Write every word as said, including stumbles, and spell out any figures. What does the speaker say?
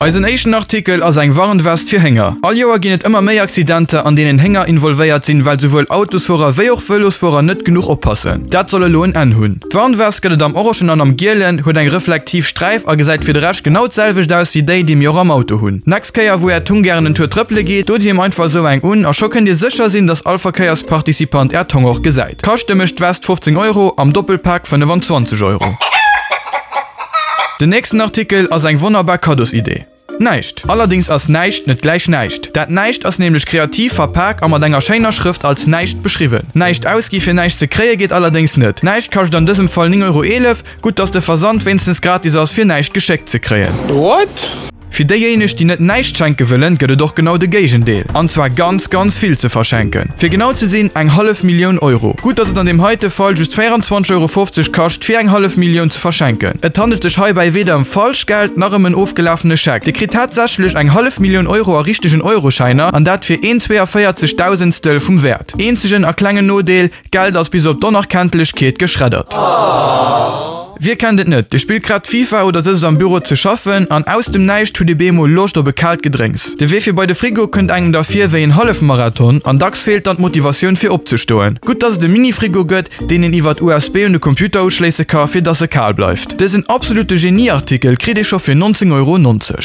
Eisen éischten Artikel ass eng Warnwest fir Hénger. All Joer ginn et ëmmer méi Accidenter, an deenen Hénger involvéiert sinn, well souwuel Autosfuerer wéi och Vëlosfuerer net genuch oppassen. Dat soll elo en Enn hunn. D'Warnwest gëtt et am Orangen an am Gielen, huet eng reflektiv Sträif a gesäit fir de Rescht genau d'selwecht aus wéi déi, déi mir och am Auto hunn. Nächst Kéier wou är Tung gären en Tour trëppele geet, dot him einfach esou eng un a scho kënnt dir sécher sinn, dass all Verkéiersparticipant är Tong och gesäit. Kaschte mécht d'West fofzéng Euro, am Doppelpak fënnefenzwanzeg Euro. Den nächsten Artikel ass eng wonnerbar Kaddosidee. Näischt. Allerdings ass näischt net gläich näischt. Dat Näischt ass nämlech kreativ verpak a mat enger schéiner Schrëft als Näischt beschriwwen. Näischt ausgi fir näischt ze kréie geet allerdéngs net. Näischt kascht an dësem Fall néng Euro eelef. Gutt dass de Versand wéinstens gratis ass fir näischt geschéckt ze kréien. What? Fir déijéineg, déi net näischt schenke wëllen, gëtt et och genau de Géigendeel, an zwar ganz, ganz vill ze verschenken. Fir genau ze sinn, eng hallef Millioun Euro. Gutt, dass et an deem heite Fall just véierenzwanzeg Euro fofzeg kascht, fir eng hallef Millioun ze verschenken. Et handelt sech heibäi weder ëm Falschgeld nach ëm en ofgelafene Scheck. Dir kritt tatsächlech eng hallef Millioun Euro a richtegen Euroschäiner, an dat fir een zweeënvéierzeg Dausendstel vum Wäert. Eenzegen a klengen Nodeel, D'Geld ass bis op d'Onerkenntlechkeet geschreddert. Wie kennt et net, Dir spillt grad FIFA oder sëtzt am Büro ze schaffen an aus dem Näischt hutt Dir bemol Loscht op e kaalt Gedrénks. De Wee fir bei de Frigo kënnt engem da vir wéi en Hallefmarathon an dacks feelt dann d'Motivatioun fir opzestoen. Gutt dass et e Mini-Frigo gëtt, deen een iwwert U S B un de Computer uschléisse ka fir dass e kal bleift. Dësen absolute Genie-Artikel kritt ee scho fir nonzéng Euro nonzeg.